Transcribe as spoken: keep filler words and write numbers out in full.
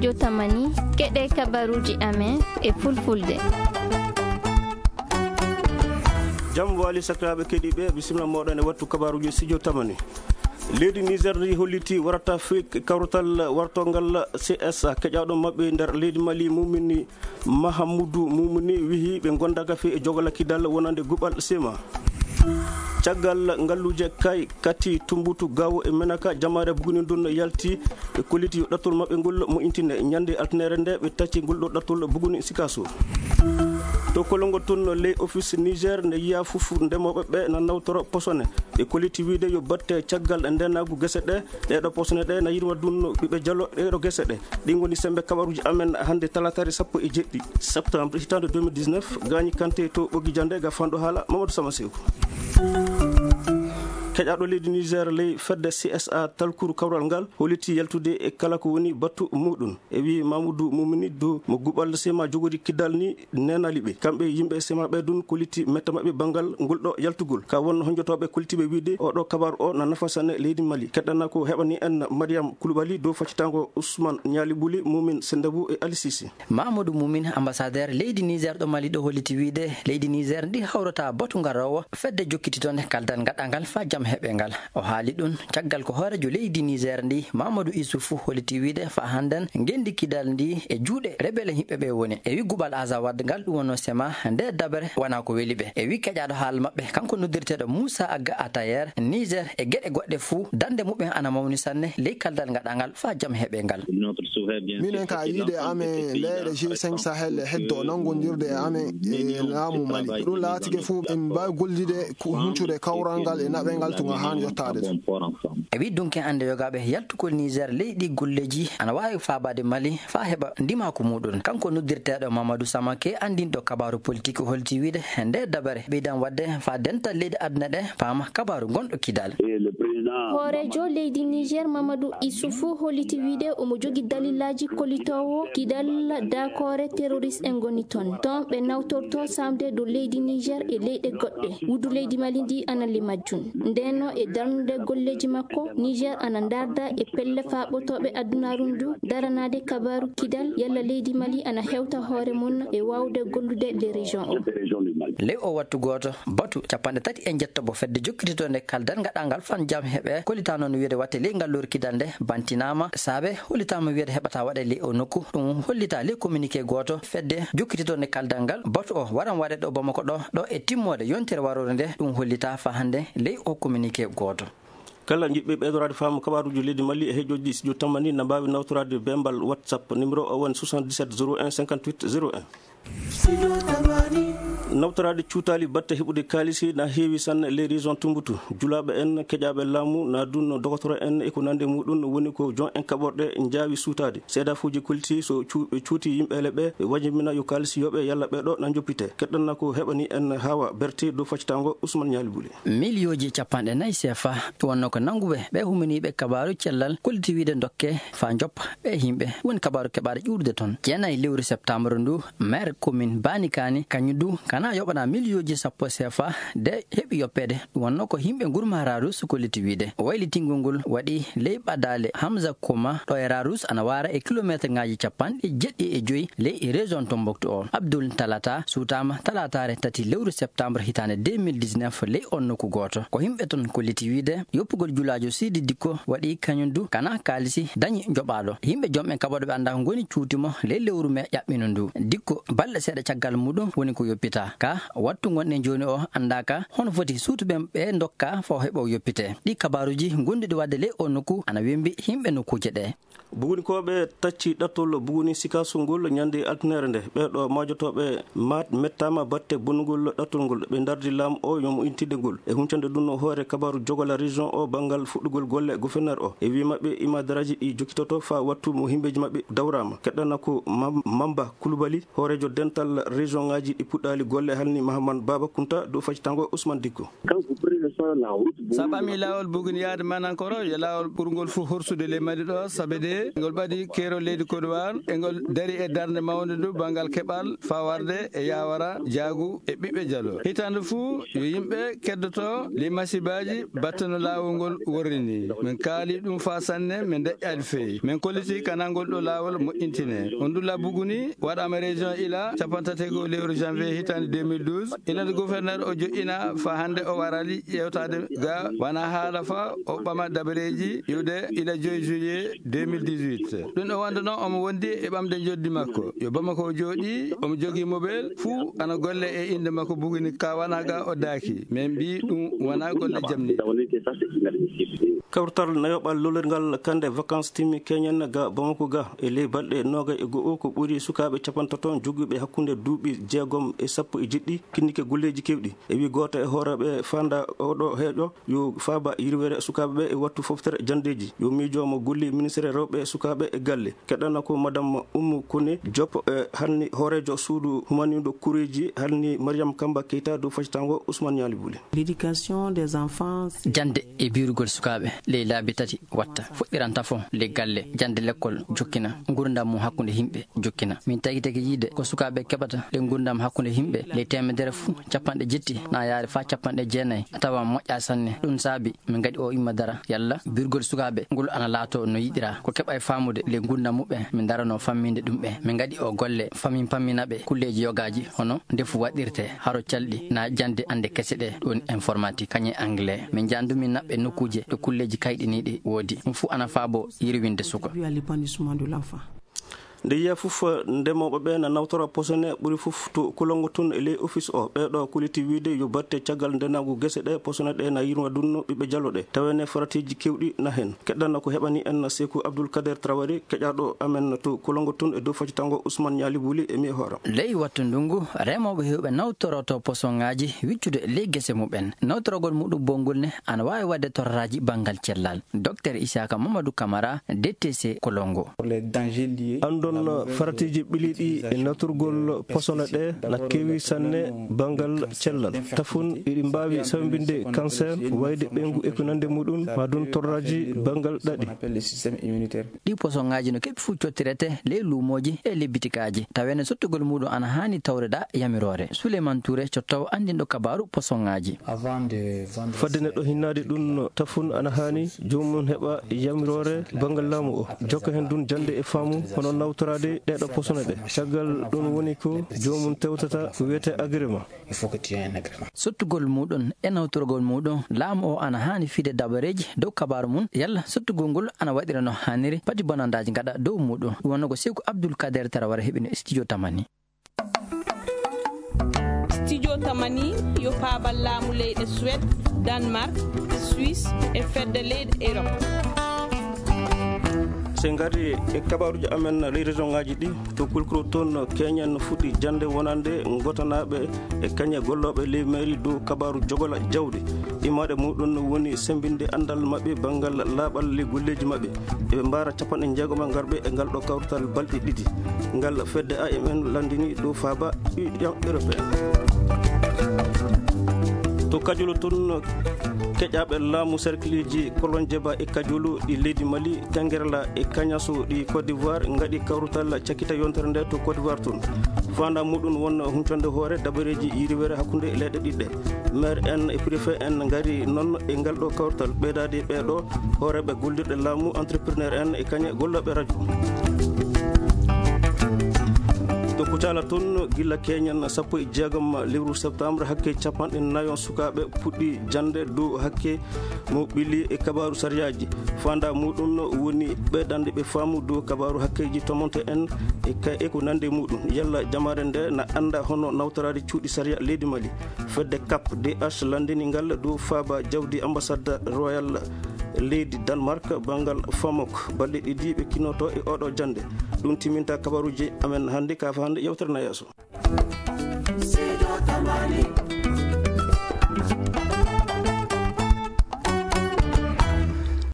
Jotamani, keɗe kabaruji amen e fulfulde. Jam wali sakiraaɓe keɗiiɓe, bisimilla mooɗon e wattu kabaruji studio tamani. Leydi Niger ndi holliti warata fii kawrutal wartongal C S A. Keƴaaɗo maɓɓe nder leydi Mali, Mumini Mahamudu Mumini, wihi ɓe gondaka fii e jogala kidal wonande guɓal sema. Caggal ngalluuje kay kati Tumbutu, Gawo e Menaka, jamaare Buguni ndun yalti e kolliti yo ɗattol maɓɓe ngol mo intine. Ñande altinere nde ɓe tacci ngol ɗo ɗattol Buguni Sikaso. To kolongol tun, ley office Niger nde yiya fufu ndemooɓe ɓe na nawtoro posone. Ɓe kolliti wiide yo batte caggal ndenaagu gese ɗe, ɗeɗo posone ɗe na yirwa dunno ɓiɓɓe jalo ɗeɗo gese ɗe. Ɗi ngoni sembe kabaruji amen hande talatare sappo e jeɗɗi septembre hitande deux mille dix-neuf. Gañi Kante to Ɓoggi Jande ga fanɗo haala Mamadou Sama Sew. Keƴaaɗo leydi Niger ley fedde C S A talkuru kawral ngal holliti yaltude e kala ko woni battu muɗum. E wi Mamoudou Moumouni Dou mo guɓal sema jogori kiddal ni nenali ɓe. Kamɓe yimɓe sema ɓe dun kolliti metta maɓɓe bangal ngol ɗo yaltugol. Ka wonno honjotooɓe kollitiɓe wiide oɗo kabar o na nafa sanne leydi Mali. Keɗɗana ko heɓani en Mariam Koulibaly dow faccitango Ousmane Niali Bouli, Moumin Sendabou e Ali Cissé. Mamadou Moumin, ambassadeur leydi Niger ɗo Mali ɗo holliti wiide leydi Niger ndi hawrata batu ngarowo fedde jokkititonde kaldal gaɗangal fa jam heɓe ngal. O haali ɗum caggal ko hooreejo leydi Niger ndi, Mamadou Issoufou, holliti wiide fa hannden ngenndi kidal ndi e juuɗe rebele hiɓɓe ɓe woni. E wi guɓal Azawad ngal ɗum wonno sema nde dabere wona ko weli ɓe. E wi keƴaaɗo haala maɓɓe, kanko noddirteeɗo Moussa Agga Atayer, Niger e geɗe goɗɗe fuu, dande muɓɓen ana mawni sanne ley kaldal gaɗangal fa jam heɓe ngal. Minen ka yiide e amen, leyɗe G cinq Sahel e heddo nanngondirde e amen e laamu Mali. Ko ɗum laatike fof, en mbaawi gollude ko huncude kawral ngal e naɓel ngal to ngal haani yottaade to. E wi dunke hannde yogaaɓe yaltugol Niger, ley ɗi golleeji ana waawi faabaade Mali faa heɓa ndimaaku muuɗum. Kanko noddirteeɗo Mamadou Samake, anndinɗo kabaaru politik, holti wiide nde dabare ɓeydan waɗde faa dental leyɗe aduna ɗe paama kabaaru gonɗo kidal. Hooreejo leydi Niger, Mamadou Issoufou, holliti wiide omo jogi dalillaaji kollitoowo kidal daakoore terroriste en ngoni ton. Ton ɓe nawtorto saamde dow leydi Niger e leyɗe goɗɗe. Wudu leydi Mali ndi ana li majjum. Ndeenno e darnude golleeji makko, Niger ana ndaarda e pelle faaɓotooɓe adunaaru ndu daranaade kabaaru kidal yalla leydi Mali ana hewta hoore mum e waawde gollude le région o. Ley o wattu gooto, batu capanɗe tati e njettoɓo fedde jokkititoonde kaldal gaɗangal fan jam heɓe kollitaano no wiyeede watte ley ngal lowru kidal nde bantinaama, saabe hollitaama wiyeede heɓata waɗe ley o nokku. Ɗum hollita ley communiqué gooto fedde jokkititoonde kaldal ngal, batu o waran waɗe ɗo Bamako ɗo, ɗo e timmoode yontere waroore nde, ɗum hollita fa hannde ley o communiqué gooto. Kala jiɗɓe ɓeydoraade faamu kabaaruuji leydi Mali e heejoji studio tamani na mbaawi nawtoraade bembal WhatsApp, numéro o woni soixante-dix-sept zéro un cinquante-huit zéro un. Nawtoraade cuutaali batte heɓude kaalisi na heewi sanne ley région Tumboutu. Julaaɓe en, keƴaaɓe laamu, na dunno dogotoro en e ko nandi muɗum woni ko jon en kaɓorɗe njaawi suutaade. Seedafuuji kolti so cu-, ɓe cuuti yimɓeele ɓe, ɓe wajimina yo kaalisi yoɓe yalla ɓe ɗo na njoppite. Keɗɗanna ko heɓani en Hawa Berté dow faccitango Ousmane Niali Bouli. Miliyooji capanɗe nayi sefa wonno ko nannguɓe ɓe humaniiɓe kabaaru cellal kolliti wiide dokke faa njoppa ɓe yimɓe. Woni kabaaru keɓaaɗo ƴuurude toon. Jeenayi lewru septembre ndu, maire commune Banikani, kañum du kana yoɓana miliyooji sappo sefa de heɓi yoppeede. Ɗum wonno ko yimɓe ngurma Raarus kolliti wiide. Waylitingol ngol waɗi ley ɓadaale Hamza Koma ɗo e Raarus ana waara e kilomeeterŋaaji capanɗe jeɗɗi e joyi ley région Tombouctou o. Abdoul Talata suutaama talataare tati lewru septembre hitaande deux mille dix-neuf ley on nokku gooto. Ko yimɓe ton kolliti wiide yoppugol julaajo Sidi Dikko waɗi kañum du kana kaalisi dañi joɓaaɗo. Yimɓe jom en kaɓooɗo ɓe anndaa ko ngoni cuuti mo ley lewru me ƴaɓɓino ndu. Dikko balɗe seeɗa caggal muɗum woni ko yoppita. Ka wattu ngonɗen jooni o anndaaka hono foti suutuɓe ɓe ndokka fo heɓo yoppite. Ɗi kabaaruuji gonduɗi waɗde ley o nokku ana wembi yimɓe nokkuuje ɗe. Bugunikooɓe tacci ɗattol Buguni Sikaso ngol ñande altinere nde. Ɓee ɗo maajotooɓe maat mettaama batte bonnugol ɗattol ngol. Ɓe ndardi laamu o yo mo intinde ngol. E huncande ɗum no hoore kabaaru jogola région o banngal fuɗɗugol golle gouverneur o. E wii maɓɓe imadaraaji ɗi jokkitoto faa wattu mo himbeeji maɓɓe dawraama. Keɗɗana ko Mam-, Mamba Kulubali, hooreejo dental région ŋaaji ɗi puɗɗaali Olle halni Mahaman Baba Kunta dow facitango Ousmane Dikko. Sa ɓami laawol buguni yaade Manankoro, yo laawol ɓurngol fuu horsude ley Mali ɗo, sabe de ngol ɓadi keerol leydi Côte d'Ivoire, e ngol dari e darnde mawnde ndu banngal keɓal faa warde e Yaawara, Jaagu e ɓiɓɓe Jalo. Hitaande fuu yo yimɓe keddoto ley masibaaji batte no laawol ngol worri ni. Min kaali ɗum faa sanne, min deƴƴaali feyi. Min kolliti kanaa ngol ɗo laawol moƴƴintine. On ndu labbugu ni waɗaama région Ila, cappantato e goo lewru janvier hitaande deux mille douze. Ila nde gouverneur o joƴƴina faa hannde o warali ƴeewtaade ga wana haala faa o ɓama dabareeji iwde ila joy juillet deux mille dix-huit. Ɗum o wonduno omo wondi e ɓamde njoddi makko. Yo Bamako o jooɗii, omo jogii mobel, fuu ana golle e innde makko buguni ka wana ga o daaki. Min mbii ɗum wana golle jamni. Kawtal nayoɓal lolirngal kande vacances timmi Keñen ga Bamako ga e ley balɗe noogay e go'o ko ɓuri sukaaɓe capantato jogguɓe hakkunde duuɓi jeegom e sappo e jeɗɗi kinnike golleeji keewɗi. E wi gooto e hooreeɓe fanda oɗo heeƴo yo faaba yirwere sukaaɓe ɓe e wattu foftere janndeeji. Yo miijo mo golli ministre rewɓe e sukaaɓe e galle. Keɗana ko Madame Oumou Koné Diop, e, halni hooreejo suudu humaniiɗo kureeji, halni Mariam Kamba Keita dow facitango Ousmane Niali Bouli. L'éducation des enfants. Jannde e biirugol sukaaɓe ley laabi tati watta. Fuɗɗiran tafo ley galle, jannde lekkol jokkina, ngurndan mum hakkunde yimɓe jokkina. Min tagi tagi yiide ko sukaaɓe keɓata ley ngurndan hakkunde yimɓe ley teemedere fuu, cappanɗe jetti na yaari faa cappanɗe jeenayi, a tawa moƴƴa sanne. Ɗum saabi min ngaɗi o imma dara yalla birgol sukaaɓe ngol ana laato no yiɗira. Ko keɓa e faamude ley ngurndan muɓɓen, min darano famminde ɗum ɓe. Min ngaɗi o golle, famin pammina ɓe kulleeji yogaaji hono ndefu waɗirte, haro calɗi na jannde annde kese ɗe, ɗum informatique, kañe anglais. Min njanndumi naɓɓe nokkuuje ɗo kulleeji kayɗiniiɗi woodi. Ɗum fuu ana faabo yirwinde suka. Nde yiya fof, ndemooɓe ɓe na nawtora posone ɓuri fof to Kolongo tun e ley office o. Ɓeeɗo kuliti wiide yo batte caggal ndenaagu gese ɗe, posone ɗe na yirwa dunno ɓiɓɓe jalo ɗe. Tawene faratiiji kewɗi na hen. Keɗɗanno ko heɓani en Seeku Abdul Kader Traoré, keƴaaɗo amen to Kolongo tun e dow faccitango Ousmane Niali Bouli e mi e hooram. Ley wattu ndungu, remooɓe heewɓe nawtoroto posonŋaaji wiccude ley gese muɓɓen. Nawtorogol muɗum bonngol ne ana waawi waɗde torraaji banngal cellal. Docteur Isaka Mamadou Camara, D T C Kolongo. Anndon faratiiji ɓiliiɗi e nawtorgol posone ɗe na keewi sanne banngal cellal. Tafun iɗi mbaawi sawbinde cancer, wayde ɓeyngu e ko nande muɗum, maa dun torraaji banngal ɗaɗi. Ɗi posonŋaaji no keɓi fuu cottirete ley luumooji e ley bitikaaji. Tawene sottugol muɗum ana haani tawreɗa yamiroore. Souleymane Touré, cottowo anndinɗo kabaaru posonŋaaji. Fadde neɗɗo hinnaade ɗum, tafun ana haani joomum heɓa yamiroore banngal laamu o. Jokka heen ɗum jannde e faamu hono nawtoraade ɗeeɗo posone ɗe. Caggal ɗum woni ko joomum tewtata ko wiyetee agrément. Sottugol muɗum e nawtorgol muɗum, laamu o ana haani fiide dabareeji dow kabaaru mum, yalla sottugol ngol ana waɗira no haaniri, pati bonandaaji ngaɗa dow muɗum. Ɗum wonno ko Seeku Abdul Kader Tarawara heɓino e studio Tamani. Studio Tamani yo paabal laamu leyɗe Suède, Danemark, Suisse e fedde leyɗe Europe. So en ngari e kabaaruuji amen ley région ŋaaji ɗi, to Kulkuro toon, keñen fuɗɗi jannde wonande ngotanaaɓe e kañe gollooɓe ley mairie dow kabaaru jogola jawdi. Imaade muɗum woni semmbinde anndal maɓɓe banngal laaɓal ley golleeji maɓɓe. Eɓe mbaara capanɗe jeegom e ngarɓe e ngal ɗo kawtal balɗe ɗiɗi. Ngal fedde A M N lanndini dow faaba Union Européenne. To Kajulu tun, keƴaaɓe laamu serkiliji Kolonjeba e Kajulu ɗi leydi Mali, Tengerla e Kañasu ɗi Côte d'Ivoire ngaɗi kawrutal cakkita yontere nde to Côte d'Ivoire tun. Fanda muɗum won huncande hoore dabareeji yiriwere hakkunde leyɗe ɗiɗɗe. Maire en e préfet en ngari noon e ngal ɗo kawtal, ɓeydaade ɓee ɗo hooreeɓe gollirɗe laamu, entrepreneur en e kañe gollooɓe radio. To Kucala toon, gila keñen sappo e jeegom lewru septembre, hakke capanɗe nayo sukaaɓe puɗɗi jannde dow hakke mo ɓili e kabaaru sariyaaji. Fanda muɗum woni ɓeydande ɓe faamu dow kabaaru hakkeeji tomonte en e ka-, e ko nandi muɗum. Yalla jamaare nde na annda hono nawtoraade cuuɗi sariya leydi Mali. Fedde cap D H lanndini ngal dow faaba jawdi ambassade royal leydi Danemark banngal Famok. Balɗe ɗiɗi ɓe kinoto e oɗo jannde. Ɗum timinta kabaruuji amen hannde, ka fa hannde yewtere na yeeso.